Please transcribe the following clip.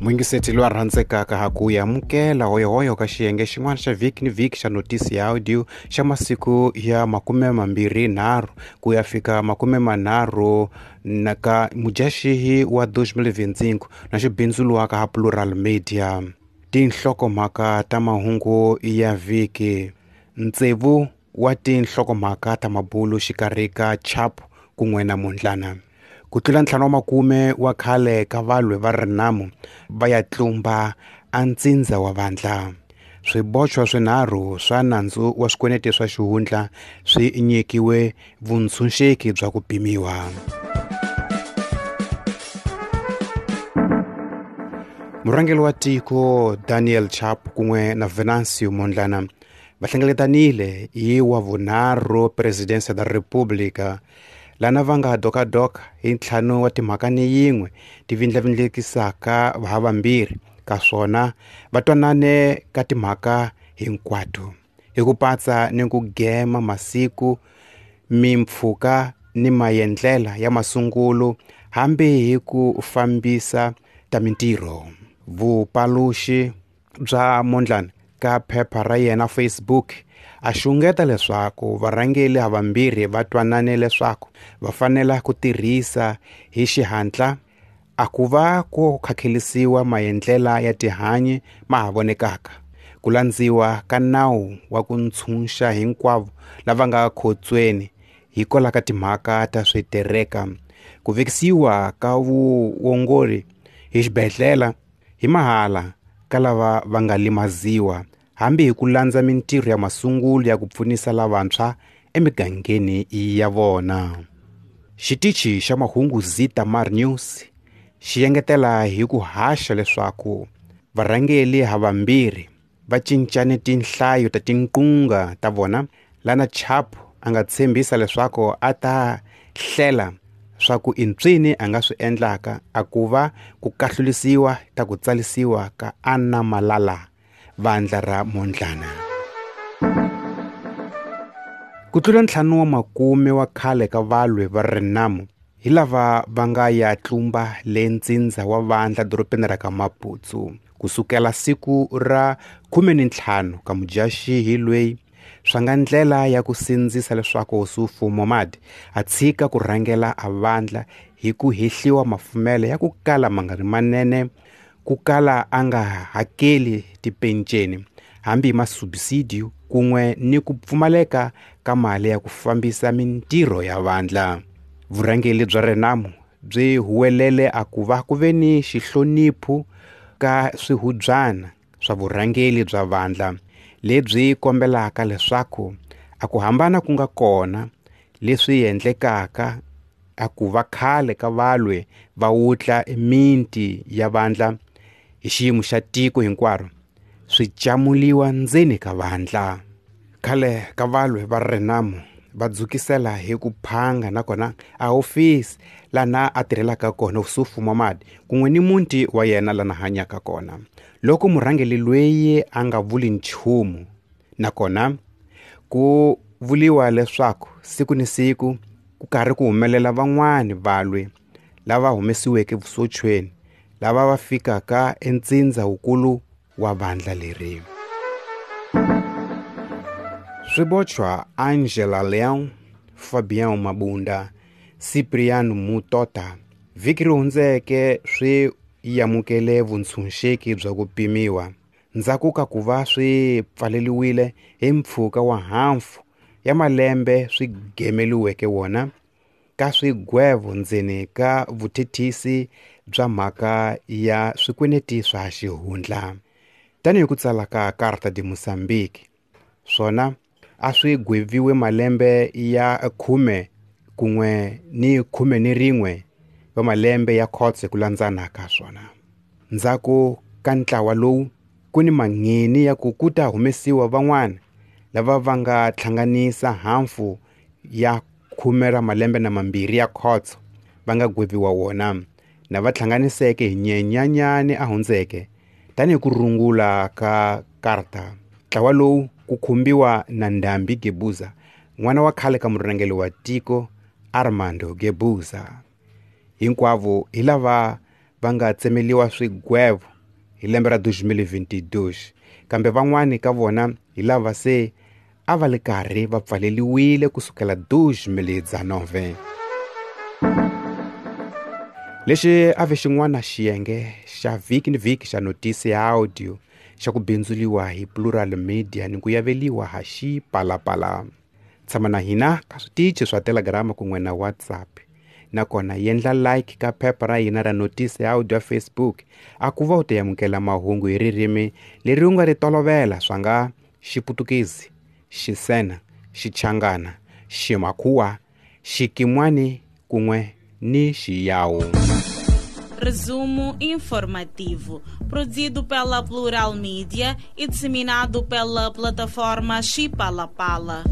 Muyingiseti loyi a rhandzekaka ha ku amukela hoyohoyo ka xiyenge xin'wana xa vhiki ni vhiki xa notisi ya audio xa masiku ya 23 ku ya fika 30 na ka Mudyaxihi wa 2025 na xibindzuluwaka ha Plural Media. Tinhlokomhaka ta mahungu ya vhiki. Ntsevu wa tinhlokomhaka ta mabulu xikarhi ka Chapo kun'we na Mondlana. Ku tlula 50 wa khale ka valwi va Renamo va ya tlumba a ntsindza wa vandla. Swibochwa swinharhu swa nandzu wa swikweleti swa xihundla swi nyikiwe vuntshunxeki bya ku pimiwa. Murhangeri wa tiko Daniel Chapo kun'we na Venancio Mondlana va hlengeletanile hi wa vunharhu Presidencia da República lana va nga dokadoka hi ntlhanu wa timhaka ni yin'we ti vindlavindlekisaka havambirhi ka swona va twanane ka timhaka hinkwato hi ku patsa ni ku gema masiku mimpfhuka ni maendlela ya masungulo hambi hi ku fambisa ta mintirho. Vupaluxi bya Mondlane ka phepha ra yena Facebook a xungeta leswaku varhangeri havambirhi va twanane leswaku va fanela ku tirhisa hi xihatla a ku va ku khakhelisiwa maendlela ya tihanyi ma ha vonekaka ku landziwa ka nawu wa ku ntshunxa hinkwavo lava nga khotsweni hikwalaho ka timhaka ta switereka ku vekisiwa ka vuongori hi xibedhlele hi mahala ka lava va nga limaziwa hambi hi ku landza mintirho ya masungulo ya ku pfunisa lavantshwa emigangeni ya vona. Xitichi xa mahungu Zitamar News xi engetela hi ku haxa leswaku varhangeri havambirhi va cincane tinhlayo ta tinqunga ta vona lana Chapo a nga tshembisa leswaku a ta hlela swa ku intswini a nga swi endlaka a ku va ku kahlulisiwa ta ku tsalisiwa ka Anna Malala vandla ra Mondlana. Ku tlula 50 wa khale ka valwi va Renamo hi lava va nga ya tlumba le ntsindza wa vandla dorobeni ra ka Maputo kusukela siku ra 15 ka Mudyaxihi loyi swa nga ndlela ya ku sindzisa leswaku Ossufo Momade a tshika ku rhangela a vandla hi ku hehliwa mafumelo ya ku kala ma nga ri manene ku kala a nga hakeli tipenceni hambi hi masubsidio kun'we ni ku pfumaleka ka mali ya ku fambisa mintirho ya vandla. Vurhangeri bya Renamo byi huwelele a ku va ku ve ni xihloniphu ka swihubyana swa vurhangeri bya vandla lebyi kombelaka leswaku a ku hambana ku nga kona leswi endlekaka a ku va khale ka valwe va wutla minti ya vandla hi xiyimo xa tiko hinkwaro swi camuliwa ndzeni ka vandla. Khale ka valwe va Renamo va dzukisela hi ku phanga nakona a hofisi lana a tirhelaka kona Ossufo Momade kun'we ni muti wa yena lana hanyaka kona loko murhangeri loyi a nga vuli nchumu nakona ku vuliwa leswaku siku ni siku ku karhi ku humelela van'wani valwi lava humesiweke vusochweni lava va fikaka entsindza wukulu wa vandla leri. Swibochwa Angela Leão, Fabião Mabunda, Cipriano Mutota vhiki ri hundzeke swi amukele vuntshunxeki bya ku pimiwa ndzhaku ka ku va swi pfaleliwile hi mpfhuka wa hafu ya malembe swi gemeliweke wona ka swigwevo ndzeni ka vuthethisi bya mhaka ya swikweleti swa xihundla. Tanihi ku tsala ka Carta de Moçambique swona a swi gweviwe malembe ya 10 kun'we ni 11 wa malembe ya khotso ku landzana ka swona. Ndzhaku ka ntlawa lowu ku ni mangheni ya ku ku ta humesiwa van'wana lava va nga hlanganisa hafu ya 10 ra malembe na mambirhi ya khotso va nga gweviwa wona na va hlanganiseke hi Nyenyanyani a hundzeke tanihi ku rungula ka Carta. Ntlawa lowu ku khumbiwa na Ndambi Guebuza n'wana wa khale ka murhangeri wa tiko Armando Guebuza. Hinkwavo hi lava va nga tsemeliwa swigwevo Hi lembe ra 2022, kambe van'wani ka vona hi lava se a va le karhi va pfaleliwile kusukela 2019. Lexi a ve xin'wana xiyenge xa vhiki ni vhiki xa notisi ya audio xa ku bindzuliwa hi Plural Media ni ku yaveliwa ha Xipalapala. Tshama na hina ka switichi swa Telegram kun'we na WhatsApp, nakona yendla like ka phepha ra hina ra notisi ya audio ya Facebook a ku va u ta amukela mahungu hi ririmi leri u nga ri tolovela, swa nga Xiputukezi, Xisena, Xichangana, Ximakhuwa, Xikimwani kun'we ni Xiyawu. Resumo informativo, produzido pela Plural Mídia e disseminado pela plataforma Xipalapala.